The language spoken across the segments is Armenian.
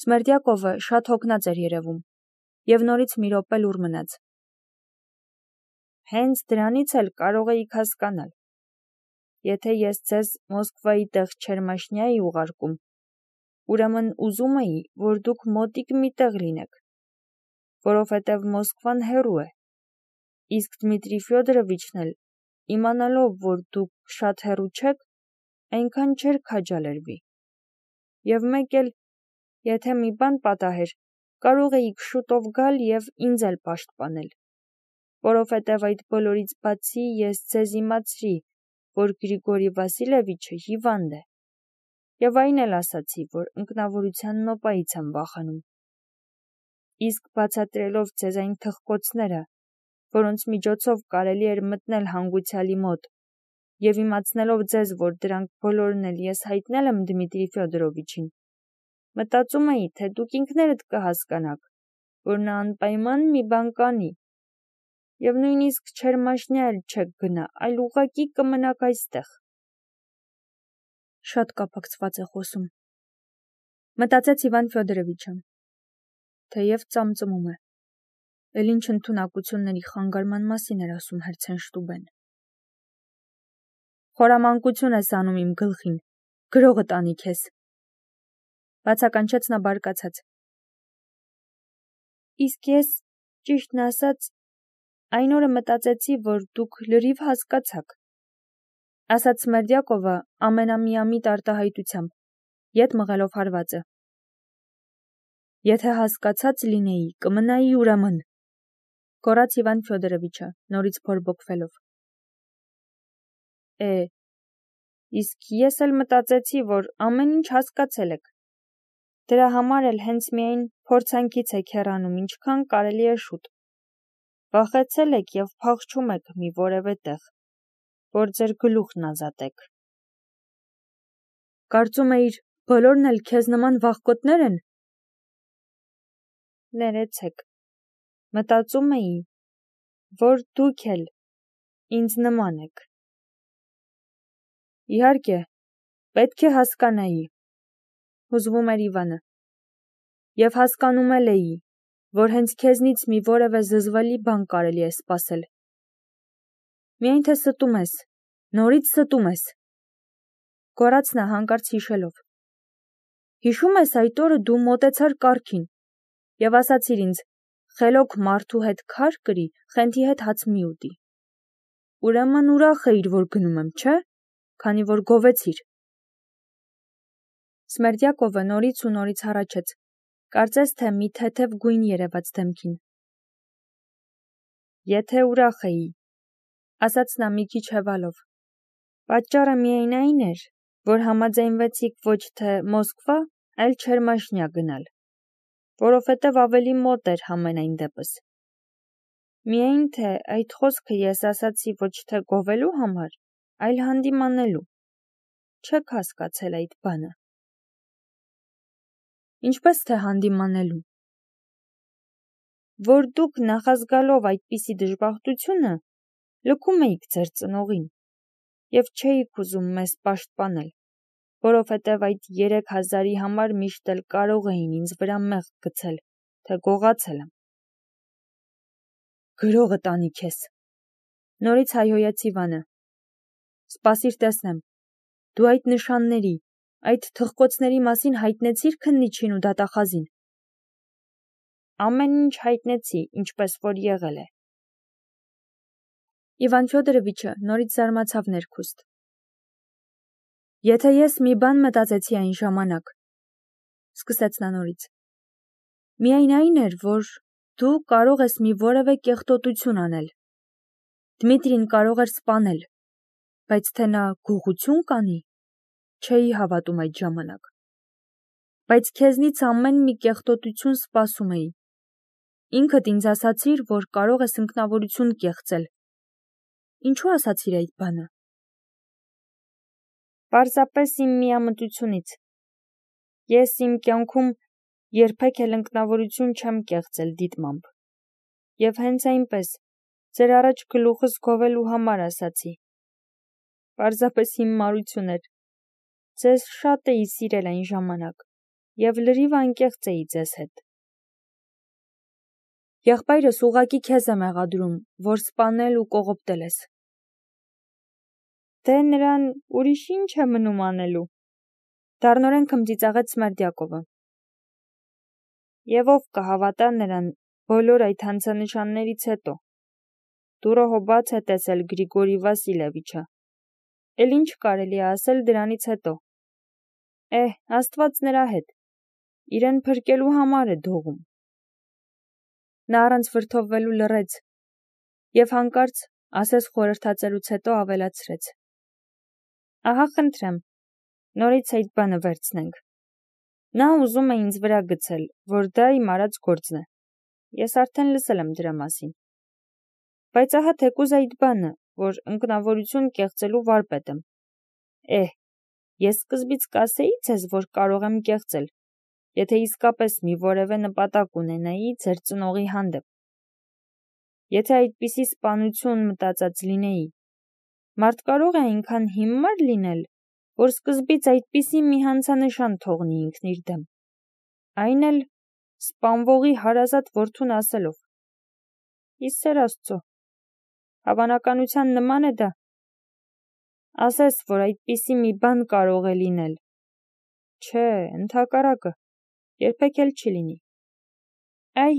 Սմերդյակովը շատ հոգնած էր երևում, և նորից մի րոպե լուռ մնաց։ Հենց դրանից էլ կարող էիք հասկանալ, եթե ես ձեզ Մոսկվայի տեղ Չերմաշնյա էի ուղարկում, ուրեմն ուզում էի, որ դուք մոտիկ մի տեղ լինեք, որովհետև Մոսկվան հեռու է, իսկ Դմիտրի Ֆյոդորովիչն էլ, իմանալով, որ դուք շատ հեռու չեք, այնքան չէր քաջալերվի։ Եվ մեկ էլ, եթե մի բան պատահեր, կարող էիք շուտով գալ և ինձ էլ պաշտպանել, որովհետև այդ բոլորից բացի ես ձեզ իմացրի, որ Գրիգորի Վասիլևիչը հիվանդ է, և այն էլ ասացի, որ ընկնավորության նոպայից եմ վախենում։ Իսկ բացատրելով ձեզ այն թխկոցները, որոնց միջոցով կարելի էր մտնել հանգուցյալի մոտ, և իմացնելով ձեզ, որ դրանք բոլորն էլ ես հայտնել եմ Դմիտրի Ֆյոդորովիչին, մտածում էի, թե դուք ինքներդ կհասկանաք, որ նա անպայման մի բան կանի, և նույնիսկ Չերմաշնյա էլ չեք գնա, այլ ուղղակի կմնաք այստեղ։ Շատ կապակցված է խոսում, մտածեց Իվան Ֆյոդորովիչը, թեև ծամծմում է, էլ ինչ ընդունակությունների խանգարման մասին էր ասում Հերցենշտուբեն։ Խորամանկություն ես անում իմ գլխին, գրողը տանի քեզ, բացականչեց նա բարկացած։ Իսկ ես, ճիշտն ասած, այն օրը մտածեցի, որ դուք լրիվ հասկացաք, ասաց Սմերդյակովը ամենամիամիտ արտահայտությամբ, ետ մղելով հարվածը։ Եթե հասկացած լինեի, կմնայի ուրեմն, գոռաց Իվան Ֆյոդորովիչը, նորից բորբոքվելով։ Իսկ ես էլ մտածեցի, որ ամեն ինչ հասկացել եք։ Դրա համար էլ հենց միայն փորձանքից եք հեռանում, ինչքան կարելի է շուտ։ Վախեցել եք և փախչում եք մի որևէ տեղ, որ ձեր գլուխն ազատեք։ Կարծում էիր, բոլորն էլ քեզ նման վախկոտներ են։ Ներեցեք, մտածում էի, որ դուք էլ ինձ նման եք։ Իհարկե, պետք է հասկանայի, հուզվում էր Իվանը, և հասկանում էլ էի, որ հենց քեզնից մի որևէ զզվելի բան կարելի է սպասել։ Միայն թե ստում ես, նորից ստում ես, գոռաց նա հանկարծ հիշելով։ Հիշում ես այդ օրը դու մոտեցար կառքին և ասացիր ինձ. խելոք մարդու հետ քար կրի, խենթի հետ հաց մի ուտի։ Ուրեմն ուրախ էիր, որ գնում եմ, չէ՞, քանի որ գովեցիր։ Սմերդյակովը նորից ու նորից հառաչեց, կարծես թե մի թեթև գույն երևաց դեմքին։ Եթե ուրախ էի, ասաց նա մի քիչ հևալով, պատճառը միայն այն էր, որ համաձայնվեցիք ոչ թե Մոսկվա, այլ Չերմաշնյա գնալ, որովհետև ավելի մոտ էր համենայն դեպս։ Միայն թե այդ խոսքը ես ասացի ոչ թե գովելու համար, այլ հանդիմանելու։ Չեք հասկացել այդ բանը։ Ինչպես թե հանդիմանելու։ Որ դուք նախազգալով այդպիսի դժբախտությունը, լքում էիք ձեր ծնողին, և չէիք ուզում մեզ պաշտպանել, որովհետև այդ 3000-ի համար միշտ էլ կարող էին ինձ վրա մեղք գցել, թե գողացել եմ։ Գրողը տանի քեզ, նորից հայհոյեց Իվանը։ Սպասիր տեսնեմ, դու այդ նշանների, այդ թխկոցների մասին հայտնեցիր քննիչին ու դատախազին։ Ամեն ինչ հայտնեցի, ինչպես որ եղել է։ Իվան Ֆյոդորովիչը նորից զարմացավ ներքուստ։ Եթե ես մի բան մտածեցի այն ժամանակ, սկսեց նա նորից, միայն այն էր, որ դու կարող ես մի որևէ կեղտոտություն անել։ Դմիտրին կարող էր սպանել, բայց թե նա գողություն կանի, չէի հավատում այդ ժամանակ։ Բայց քեզնից ամեն մի կեղտոտություն սպասում էի։ Ինքդ ինձ ասացիր, որ կարող ես ինքնավորություն կեղծել։ Ինչու ասացիր այդ բանը։ Պարզապես իմ միամտությունից։ Ես իմ կյանքում երբեք էլ ինքնավորություն չեմ կեղծել դիտմամբ։ Եվ հենց այնպես, ձեր առաջ գլուխս գովելու համար ասացի։ Պարզապես իմ մարություն էր։ Ձեզ շատ էի սիրել այն ժամանակ։ և լրիվ անկեղծ էի ձեզ հետ։ Եղբայրս ուղղակի քեզ է մեղադրում, որ սպանել ու կողոպտել ես։ Դե նրան ուրիշ ինչ է մնում անելու, դառնորեն քմծիծաղեց Սմերդյակովը։ Եվ ով կհավատա նրան բոլոր այդ հանցանշաններից հետո։ Դուռը հո բաց է տեսել Գրիգորի Վասիլևիչը։ Էլ ինչ կարելի է ասել դրանից հետո։ Աստված նրա հետ, իրեն փրկելու համար է դողում։ Նա առանց վրդովվելու լռեց և հանկարծ ասես խորհրդածելուց հետո ավելացրեց. Ահա խնդրեմ, նորից այդ բանը վերցնենք։ Նա ուզում է ինձ վրա գցել, որ դա իմ արած գործն է։ Ես արդեն լսել եմ դրա մասին։ Բայց ահա թեկուզ այդ բանը, որ ընկնավորություն կեղծելու վարպետ եմ։ Ես սկզբից կասեի ձեզ, որ կարող եմ կեղծել, եթե իսկապես մի որևէ նպատակ ունենայի ձեր ծնողի հանդեպ։ Եթե այդպիսի սպանություն մտածած լինեի, մարդ կարող է այնքան հիմար լինել, որ սկզբից այդպիսի մի հանցանշան թողնի ինքն իր դեմ, այն էլ սպանվողի հարազատ որդուն ասելով. ի սեր Աստծո, հավանականության նման է դա։ Ասես, որ այդպիսի մի բան կարող է լինել։ Չէ, ընդհակառակը, երբեք էլ չի լինի։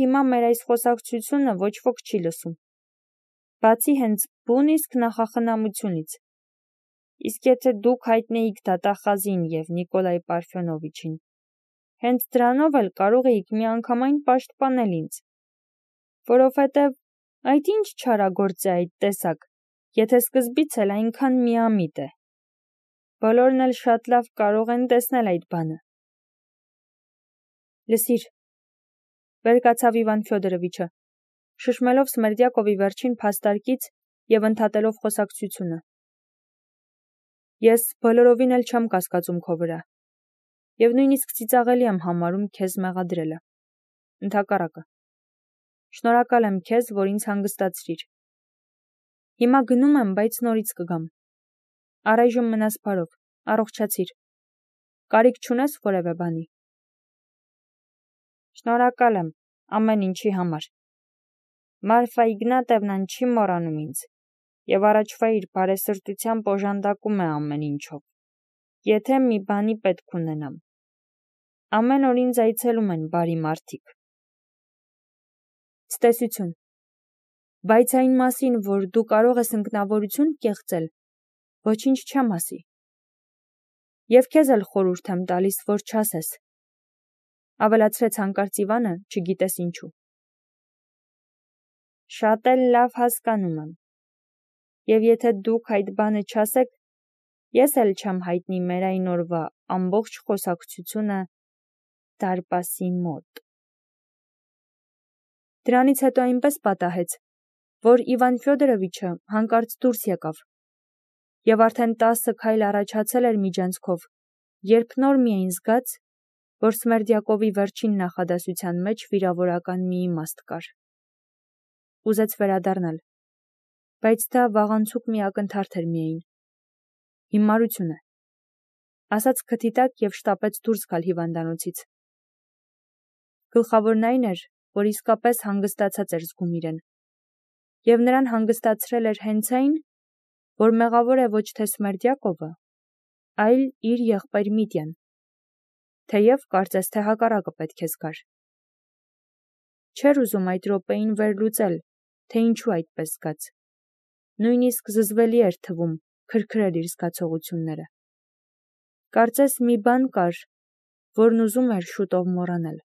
Հիմա մեր այս խոսակցությունը ոչ ոք չի լսում, բացի հենց բուն իսկ նախախնամությունից։ Իսկ եթե դուք հայտնեիք դատախազին և Նիկոլայ Պարֆյոնովիչին, հենց դրանով էլ կարող էիք միանգամայն պաշտպանել ինձ, որովհետև այդ ինչ չարագործ է այդ տեսակ, եթե սկզբից էլ այնքան միամիտ է։ Բոլորն էլ շատ լավ կարող են տեսնել այդ բանը։ Լսիր, վեր կացավ Իվան Ֆյոդորովիչը, շշմելով Սմերդյակովի վերջին փաստարկից և ընդհատելով խոսակցությունը։ Ես բոլորովին էլ չեմ կասկածում քո վրա, և նույնիսկ ծիծաղելի եմ համարում քեզ մեղադրելը։ Ընդհակառակը։ Շնորհակալ եմ քեզ, որ ինձ հանգստացրիր։ Հիմա գնում եմ, բայց նորից կգամ։ Առայժմ մնաս բարով, առողջացիր։ Կարիք չունես որևէ բանի։ Շնորհակալ եմ ամեն ինչի համար։ Մարֆա Իգնատևնան չի մոռանում ինձ և առաջվա իր բարեսրտությամբ օժանդակում է ամեն ինչով, եթե մի բանի պետք ունենամ։ Ամեն օր ինձ այցելում են բարի մարդիկ։ Ցտեսություն։ Բայց այն մասին, որ դու կարող ես ընկնավորություն կեղծել, ոչինչ չեմ ասի։ Եվ քեզ էլ խորհուրդ եմ տալիս, որ չասես։ Ավելացրեց հանկարծ Իվանը, չգիտես ինչու։ Շատ էլ լավ հասկանում եմ։ Եվ եթե դուք այդ բանը չասեք, ես էլ չեմ հայտնի մեր այն օրվա ամբողջ խոսակցությունը դարպասի մոտ։ Դրանից հետո այնպես պատահեց, որ Իվան Ֆյոդորովիչը հանկարծ դուրս եկավ, և արդեն 10 քայլ առաջացել էր միջանցքով, երբ նոր միայն զգաց, որ Սմերդյակովի վերջին նախադասության մեջ վիրավորական մի իմաստ կար։ Ուզեց վերադառնալ, բայց դա վաղանցուկ մի ակնթարթ էր միայն։ Հիմարություն է, ասաց քթի տակ և շտապեց դուրս գալ հիվանդանոցից։ Գլխավորն այն էր, որ իսկապես հանգստացած էր զգում իրեն, և նրան հանգստացրել էր հենց այն, որ մեղավոր է ոչ թե Սմերդյակովը, այլ իր եղբայր Միտյան, թեև կարծես թե հակառակը պետք է զգար։ Չէր ուզում այդ րոպեին վերլուծել, թե ինչու այդպես զգաց։ Նույնիսկ զզվելի էր թվում քրքրել իր զգացողությունները։ Կարծես մի բան կար, որն ուզում էր շուտով մոռանել։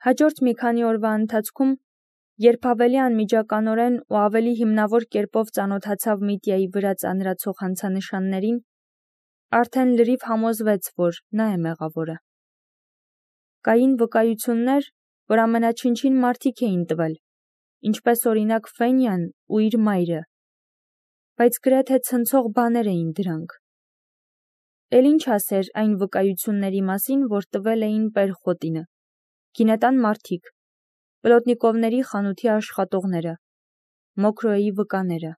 Հաջորդ մի քանի օրվա ընթացքում, երբ ավելի անմիջականորեն ու ավելի հիմնավոր կերպով ծանոթացավ Միտյայի վրա ծանրացող հանցանշաններին, արդեն լրիվ համոզվեց, որ նա է մեղավորը։ Կային վկայություններ, որ ամենաչնչին մարդիկ էին տվել, ինչպես օրինակ Ֆենյան ու իր մայրը, բայց գրեթե ցնցող բաներ էին դրանք։ Էլ ինչ ասեր այն վկայությունների մասին, որ տվել էին Պերխոտինը, գինետան մարդիկ, Պլոտնիկովների խանութի աշխատողները, Մոկրոյի վկաները։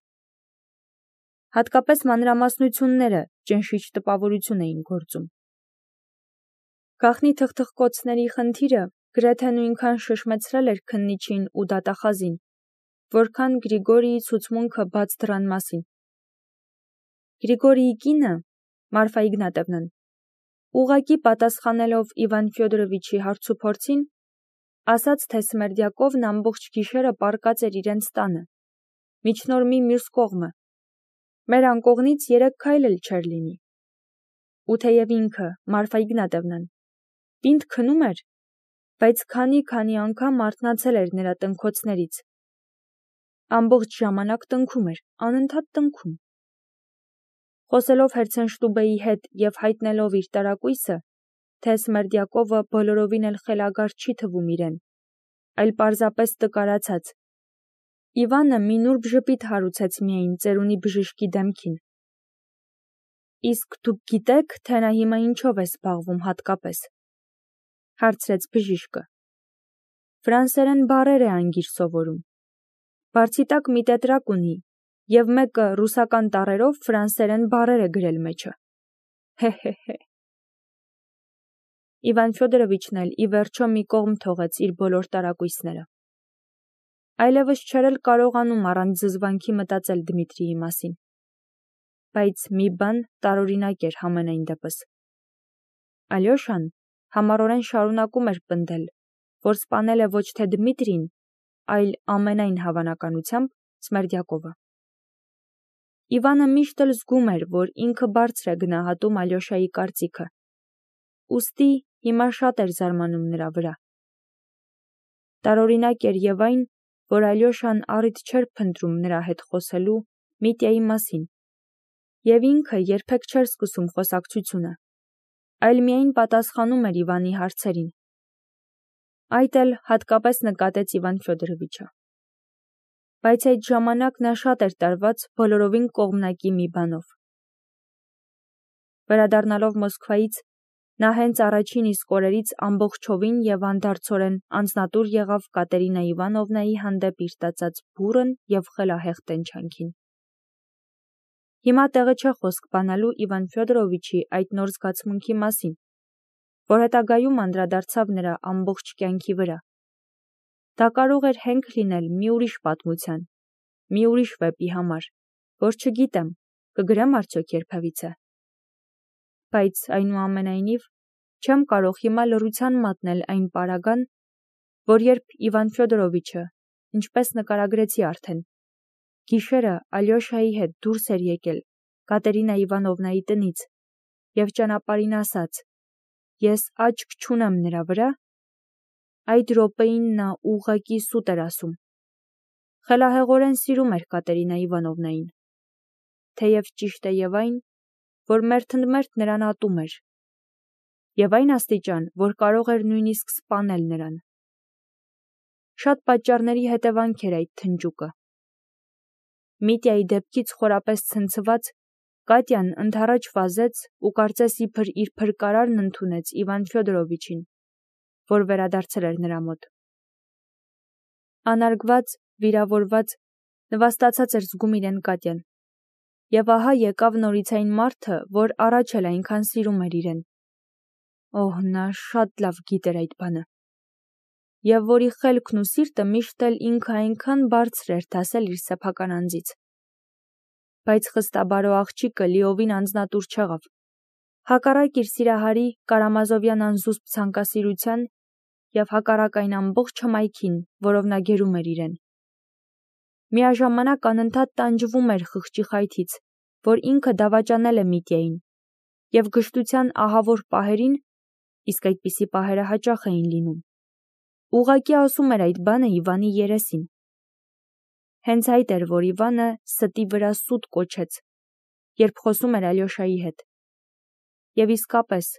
Հատկապես մանրամասնությունները ճնշիչ տպավորություն էին գործում։ Գաղտնի թխթխկոցների խնդիրը գրեթե նույնքան շշմեցրել էր քննիչին ու դատախազին, որքան Գրիգորիի ցուցմունքը բաց դռան մասին։ Գրիգորիի կինը, Մարֆա Իգնատևնան, ուղղակի պատասխանելով Իվան Ֆյոդորովիչի հարցուփորձին, ասաց, թե Սմերդյակովն ամբողջ գիշերը պառկած էր իրենց տանը, միջնորմի մյուս կողմը, մեր անկողնից 3 քայլ էլ չէր լինի։ Ու թեև ինքը, Մարֆա Իգնատևնան, պինդ քնում էր, բայց քանի անգամ արթնացել էր նրա տնքոցներից։ Ամբողջ ժամանակ տնքում էր, անընդհատ տնքում։ Խոսելով Հերցենշտուբեի հետ և հայտնելով իր տարակույսը, թե Սմերդյակովը բոլորովին էլ խելագար չի թվում իրեն, այլ պարզապես տկարացած, Իվանը մի նուրբ ժպիտ հարուցեց միայն ծերունի բժշկի դեմքին։ Իսկ դուք գիտեք, թե նա հիմա ինչով է զբաղվում հատկապես, հարցրեց բժիշկը։ Ֆրանսերեն բառեր է անգիր սովորում։ Բարձի տակ մի տետրակ ունի, և մեկը ռուսական տառերով ֆրանսերեն բառեր է գրել մեջը։ Հե։ Իվան Ֆյոդորովիչն էլ ի վերջո մի կողմ թողեց իր բոլոր տարակույսները։ Այլևս չէր էլ կարողանում առանց զզվանքի մտածել Դմիտրիի մասին։ Բայց մի բան տարօրինակ էր համենայն դեպս։ Ալյոշան համառորեն շարունակում էր պնդել, որ սպանել է ոչ թե Դմիտրին, այլ ամենայն հավանականությամբ Սմերդյակովը։ Իվանը միշտ էլ զգում էր, որ ինքը բարձր է գնահատում Ալյոշայի կարծիքը, ուստի հիմա շատ էր զարմանում նրա վրա։ Տարօրինակ էր և այն, որ Ալյոշան առիթ չէր փնտրում նրա հետ խոսելու Միտյայի մասին, և ինքը երբեք չէր սկսում խոսակցությունը, այլ միայն պատասխանում էր Իվանի հարցերին։ Այդ էլ հատկապես նկատեց Իվան Ֆյոդորովիչը։ Բայց այդ ժամանակ նա շատ էր տարված բոլորովին կողմնակի մի բանով։ Վերադառնալով Մոսկվայից, նա հենց առաջին իսկ օրերից ամբողջովին և անդարձորեն անձնատուր եղավ Կատերինա Իվանովնայի հանդեպ իր տածած բուռն և խելահեղ տենչանքին։ Հիմա տեղը չէ խոսք բանալու Իվան Ֆյոդորովիչի այդ նոր զգացմունքի մասին, որ հետագայում անդրադարձավ նրա ամբողջ կյանքի վրա։ Դա կարող էր հենք լինել մի ուրիշ պատմության, մի ուրիշ վեպի համար, որ չգիտեմ, կգրեմ արդյոք երբևիցե։ Բայց այնուամենայնիվ չեմ կարող հիմա լռության մատնել այն պարագան, որ երբ Իվան Ֆյոդորովիչը, ինչպես նկարագրեցի արդեն, գիշերը Ալյոշայի հետ դուրս էր եկել Կատերինա Իվանովնայի տնից և ճանապարհին ասաց. «Ես աչք չունեմ նրա վրա», այդ րոպեին նա ուղղակի սուտ էր ասում։ Խելահեղորեն սիրում էր Կատերինա Իվանովնային, թեև ճիշտ է և այն, որ մերթընդմերթ նրան ատում էր, և այն աստիճան, որ կարող էր նույնիսկ սպանել նրան։ Շատ պատճառների հետևանք էր այդ թնջուկը։ Միտյայի դեպքից խորապես ցնցված, Կատյան ընդառաջ վազեց ու կարծես իբր իր փրկարարն ընդունեց Իվան Ֆյոդորովիչին, որ վերադարձել էր նրա մոտ։ Անարգված, վիրավորված, նվաստացած էր զգում իրեն Կատյան։ Եվ ահա եկավ նորից այն մարդը, որ առաջ էլ այնքան սիրում էր իրեն։ Օհ, նա շատ լավ գիտեր այդ բանը։ Եվ որի խելքն ու սիրտը միշտ էլ ինքը այնքան բարձր էր դասել իր սեփական անձից։ Բայց խստաբարո աղջիկը լիովին անձնատուր չեղավ։ Հակառակ իր սիրահարի Կարամազովյան անզուսպ ցանկասիրության և հակառակ այն ամբողջ հմայքին, որով նա գերում էր իրեն։ Միաժամանակ անընդհատ տանջվում էր խղճի խայթից, որ ինքը դավաճանել է Միտյային, և գժտության ահավոր պահերին, իսկ այդպիսի պահերը հաճախ էին լինում, ուղղակի ասում էր այդ բանը Իվանի երեսին։ Հենց այդ էր, որ Իվանը ստի վրա սուտ կոչեց, երբ խոսում էր Ալյոշայի հետ։ Եվ իսկապես,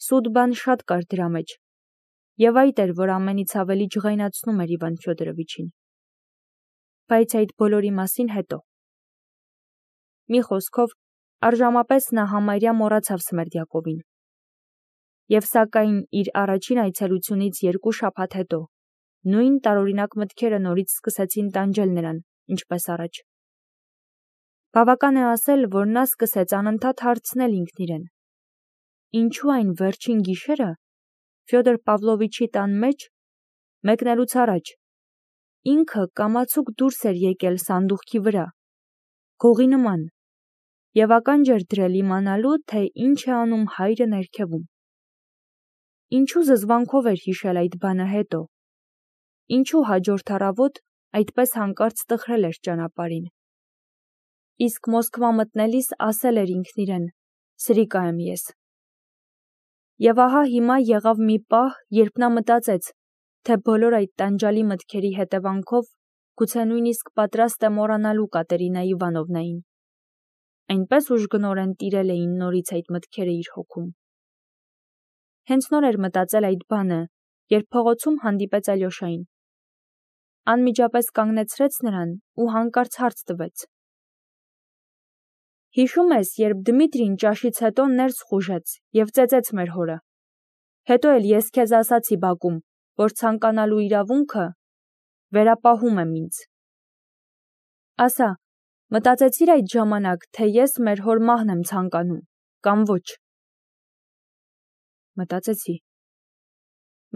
սուտ բան շատ կար դրա մեջ, և այդ էր, որ ամենից ավելի ջղայնացնում էր Իվան Ֆյոդորովիչին։ Բայց այդ բոլորի մասին հետո։ Մի խոսքով, առժամապես նա համարյա մոռացավ Սմերդյակովին։ Եվ սակայն իր առաջին այցելությունից 2 շաբաթ հետո նույն տարօրինակ մտքերը նորից սկսեցին տանջել նրան, ինչպես առաջ։ Բավական է ասել, որ նա սկսեց անընդհատ հարցնել ինքն իրեն. ինչու այն վերջին գիշերը Ֆյոդոր Պավլովիչի տան մեջ, մեկնելուց առաջ, ինքը կամացուկ դուրս էր եկել սանդուղքի վրա, գողի նման, և ականջ էր դրել իմանալու, թե ինչ է անում հայրը ներքևում։ Ինչու զզվանքով էր հիշել այդ բանը հետո, ինչու հաջորդ առավոտ այդպես հանկարծ տխրել էր ճանապարհին։ Իսկ Մոսկվա մտնելիս ասել էր ինքն իրեն. «Սրիկա եմ ես»։ Եվ ահա հիմա եղավ մի պահ, երբ նա մտածեց, թե բոլոր այդ տանջալի մտքերի հետևանքով գուցե նույնիսկ պատրաստ է մոռանալու Կատերինա Իվանովնային։ Այնպես ուժգնորեն տիրել էին նորից այդ մտքերը իր հոգում։ Հենց նոր էր մտածել այդ բանը, երբ փողոցում հանդիպեց Ալյոշային։ Անմիջապես կանգնեցրեց նրան ու հանկարծ հարց տվեց. «Հիշում ես, երբ Դմիտրին ճաշից հետո ներս խուժեց և ծեծեց մեր հորը։ Հետո էլ ես քեզ ասացի բակում, որ ցանկանալու իրավունքը վերապահում եմ ինձ։ Ասա, մտածեցիր այդ ժամանակ, թե ես մեր հոր մահն եմ ցանկանում, կամ ոչ»։ Մտածեցի,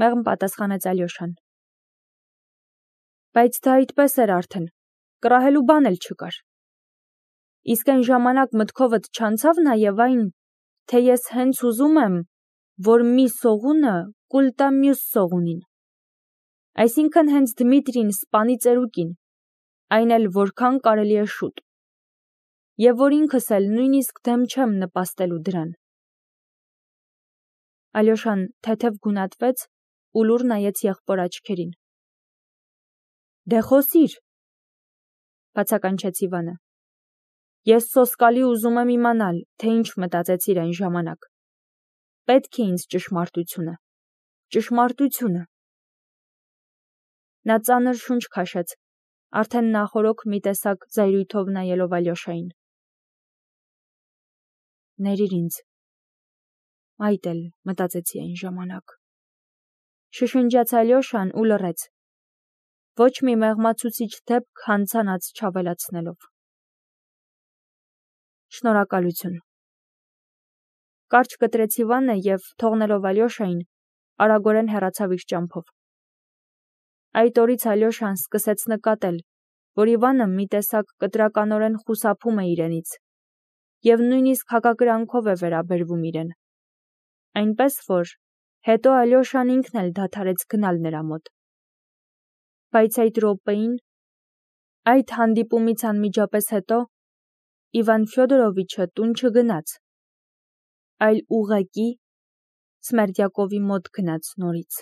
մեղմ պատասխանեց Ալյոշան։ Բայց դա այդպես էր արդեն, կռահելու բան էլ չկար։ Իսկ այն ժամանակ մտքովդ չանցավ նաև այն, թե ես հենց ուզում եմ, որ մի սողունը կուլ տա մյուս սողունին։ Այսինքն հենց Դմիտրին սպանի ծերուկին, այն էլ որքան կարելի է շուտ։ Եվ որ ինքս էլ նույնիսկ դեմ չեմ նպաստելու դրան։ Ալյոշան թեթև գունատվեց ու լուռ նայեց եղբոր աչքերին։ Դե խոսիր, բացականչեց Իվանը։ Ես սոսկալի ուզում եմ իմանալ, թե ինչ մտածեցիր այն ժամանակ։ Պետք է ինձ ճշմարտությունը։ Ճշմարտությունը։ Նա ծանր շունչ քաշեց, արդեն նախօրոք մի տեսակ զայրույթով նայելով Ալյոշային։ Ներիր ինձ։ Այդ էլ մտածեցի այն ժամանակ։ Շշնջաց Ալյոշան ու լռեց։ Ոչ մի մեղմացուցիչ դեպք հանցանաց չավելացնելով։ Շնորհակալություն։ Կարճ կտրեց Իվանը և, թողնելով Ալյոշային, արագորեն հեռացավ իր ճամփով։ Այդ օրից Ալյոշան սկսեց նկատել, որ Իվանը մի տեսակ կտրականորեն խուսափում է իրենից և նույնիսկ հակակրանքով է վերաբերվում իրեն։ Այնպես որ հետո Ալյոշան ինքն էլ դադարեց գնալ նրա մոտ։ Բայց այդ րոպեին, այդ հանդիպումից անմիջապես հետո, Իվան Ֆյոդորովիչը տուն չգնաց, այլ ուղղակի Սմերդյակովի մոտ գնաց նորից։